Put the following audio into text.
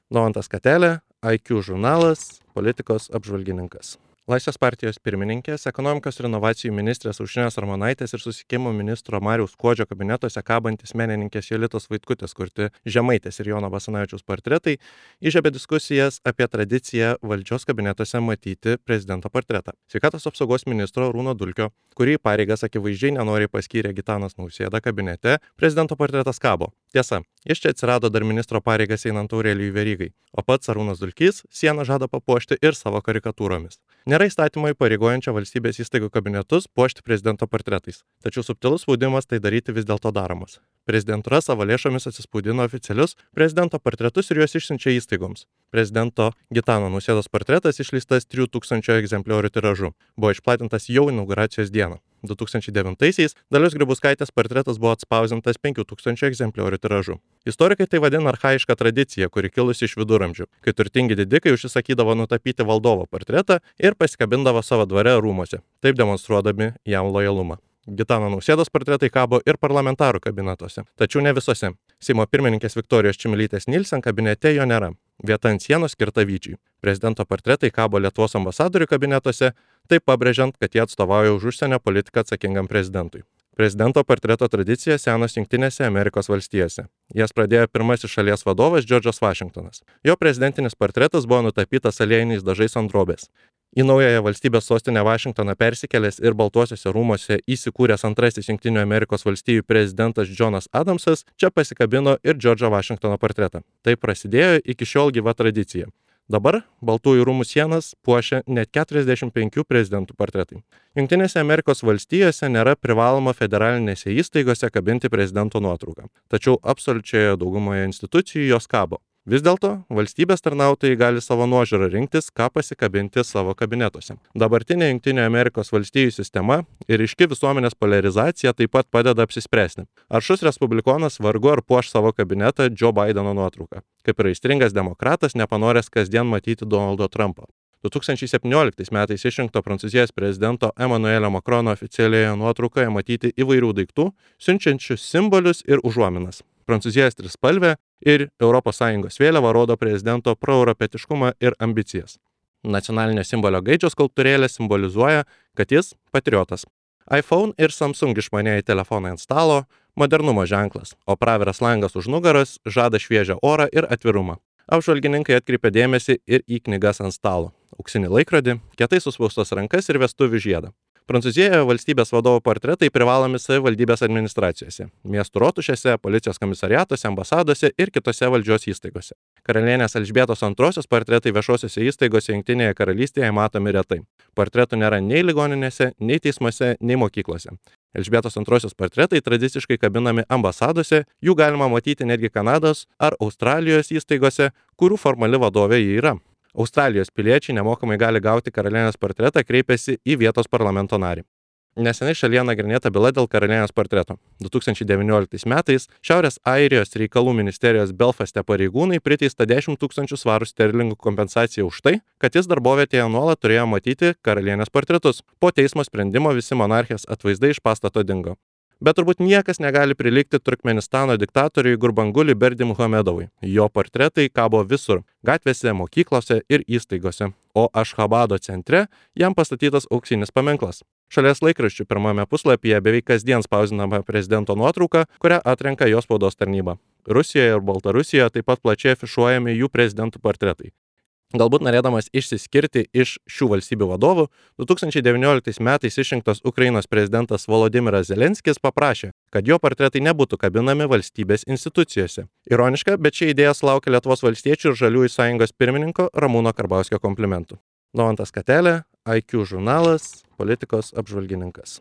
Naujantas Katelė, IQ žurnalas, politikos apžvalgininkas. Laisvės partijos pirmininkės, ekonomikos ir inovacijų ministrės Aušrinės Armonaitės ir susisiekimo ministro Mariaus Skuodžio kabinetuose kabantis menininkės Jolitos Vaitkutės kurti Žemaitės ir Jono Basanavičiaus portretai įžiebė diskusijas apie tradiciją valdžios kabinetuose matyti prezidento portretą. Sveikatos apsaugos ministro Arūno Dulkio, kurį pareigas akivaizdžiai nenoriai paskyrė Gitanas Nausėda kabinete, prezidento portretas kabo. Tiesa, jis čia atsirado dar ministro pareigas einant Aurelijui Verygai, o pats Arūnas Dulkys sieną žada papuošti ir savo karikatūromis. Nėra įstatymo įpareigojančio valstybės įstaigų kabinetus puošti prezidento portretais, tačiau subtilus spaudimas tai daryti vis dėlto daromas. Prezidentūra savo lėšomis atsispaudino oficialius prezidento portretus ir juos išsiunčia įstaigoms. Prezidento Gitano Nausėdos portretas išleistas 3000 egzempliorių tiražu. Buvo išplatintas jau inauguracijos dieną. 2009-aisiais Dalios Grybauskaitės portretas buvo atspausintas 5000 egzempliorių tiražu. Istorikai tai vadina archaišką tradiciją, kuri kilusi iš viduramžių, kai turtingi didikai užsisakydavo nutapyti valdovo portretą ir pasikabindavo savo dvare rūmuose, taip demonstruodami jam lojalumą. Gitano Nausėdos portretai kabo ir parlamentarų kabinetuose, tačiau ne visose. Seimo pirmininkės Viktorijos Čmilytės Nilsen kabinete jo nėra. Vieta ant sienos skirta Vyčiui. Prezidento portretai kabo Lietuvos ambasadorių kabinetuose, taip pabrėžiant, kad jie atstovauja už užsienio politiką atsakingam prezidentui. Prezidento portreto tradicija senos Jungtinėse Amerikos valstijose. Jas pradėjo pirmasis šalies vadovas Džordžas Vašingtonas. Jo prezidentinis portretas buvo nutapytas aliejiniais dažais ant drobės. Į naująją valstybės sostinę Vašingtoną persikėlęs ir Baltuosiuose rūmuose įsikūręs antrasis Jungtinių Amerikos valstijų prezidentas Džonas Adamsas čia pasikabino ir Džordžo Vašingtono portretą. Tai prasidėjo iki šiol gyva tradicija. Dabar Baltųjų rūmų sienas puošia net 45 prezidentų portretai. Jungtinėse Amerikos valstijose nėra privaloma federalinėse įstaigose kabinti prezidento nuotrauką, tačiau absoliučioje daugumoje institucijų jos kabo. Vis dėlto, valstybės tarnautojai gali savo nuožiūrą rinktis, ką pasikabinti savo kabinetuose. Dabartinė Jungtinių Amerikos valstijų sistema ir ryški visuomenės polarizacija taip pat padeda apsispręsti. Aršus respublikonas vargu ar puoš savo kabinetą Joe Bideno nuotrauką, kaip ir aistringas demokratas nepanoręs kasdien matyti Donaldo Trumpo. 2017 metais išrinkto Prancūzijos prezidento Emmanuelio Macrono oficialioje nuotraukoje matyti įvairių daiktų, siunčiančių simbolius ir užuominas. Prancūzijos trispalvė ir ES vėliava rodo prezidento proeuropietiškumą ir ambicijas. Nacionalinio simbolio gaidžio skulptūrėlė simbolizuoja, kad jis patriotas. iPhone ir Samsung išmanieji telefonai ant stalo – modernumo ženklas, o praviras langas už nugaros žada šviežią orą ir atvirumą. Apžvalgininkai atkreipia dėmesį ir į knygas ant stalo, auksinį laikrodį, kietai suspaustas rankas ir vestuvių žiedą. Prancūzijoje valstybės vadovo portretai privalomi savivaldybės administracijose, miestų rotušėse, policijos komisariatuose, ambasadose ir kitose valdžios įstaigose. Karalienės Elžbietos II portretai viešosiose įstaigose Jungtinėje karalystėje matomi retai. Portretų nėra nei ligoninėse, nei teismuose, nei mokyklose. Elžbietos II portretai tradiciškai kabinami ambasadose, jų galima matyti netgi Kanados ar Australijos įstaigose, kurių formali vadovė ji yra. Australijos piliečiai nemokamai gali gauti karalienės portretą, kreipėsi į vietos parlamento narį. Neseniai šalyje nagrinėta byla dėl karalienės portreto. 2019 metais Šiaurės Airijos reikalų ministerijos Belfaste pareigūnai priteista 10 000 svarų sterlingų kompensaciją už tai, kad jis darbovietėje nuolat turėjo matyti karalienės portretus. Po teismo sprendimo visi monarchės atvaizdai iš pastato dingo. Bet turbūt niekas negali prilygti Turkmenistano diktatoriui Gurbanguly Berdimuhamedovui. Jo portretai kabo visur – gatvėse, mokyklose ir įstaigose. O Ašchabado centre jam pastatytas auksinis paminklas. Šalies laikraščių pirmame puslapyje beveik kasdien spausdinama prezidento nuotrauka, kurią atrenka jo spaudos tarnyba. Rusijoje ir Baltarusijoje taip pat plačiai afišuojami jų prezidentų portretai. Galbūt norėdamas išsiskirti iš šių valstybių vadovų, 2019 metais išrinktas Ukrainos prezidentas Volodymyras Zelenskis paprašė, kad jo portretai nebūtų kabinami valstybės institucijose. Ironiška, bet ši idėja sulaukė Lietuvos valstiečių ir Žaliųjų sąjungos pirmininko Ramūno Karbauskio komplimentų. Naujantas Katelė, IQ žurnalas, politikos apžvalgininkas.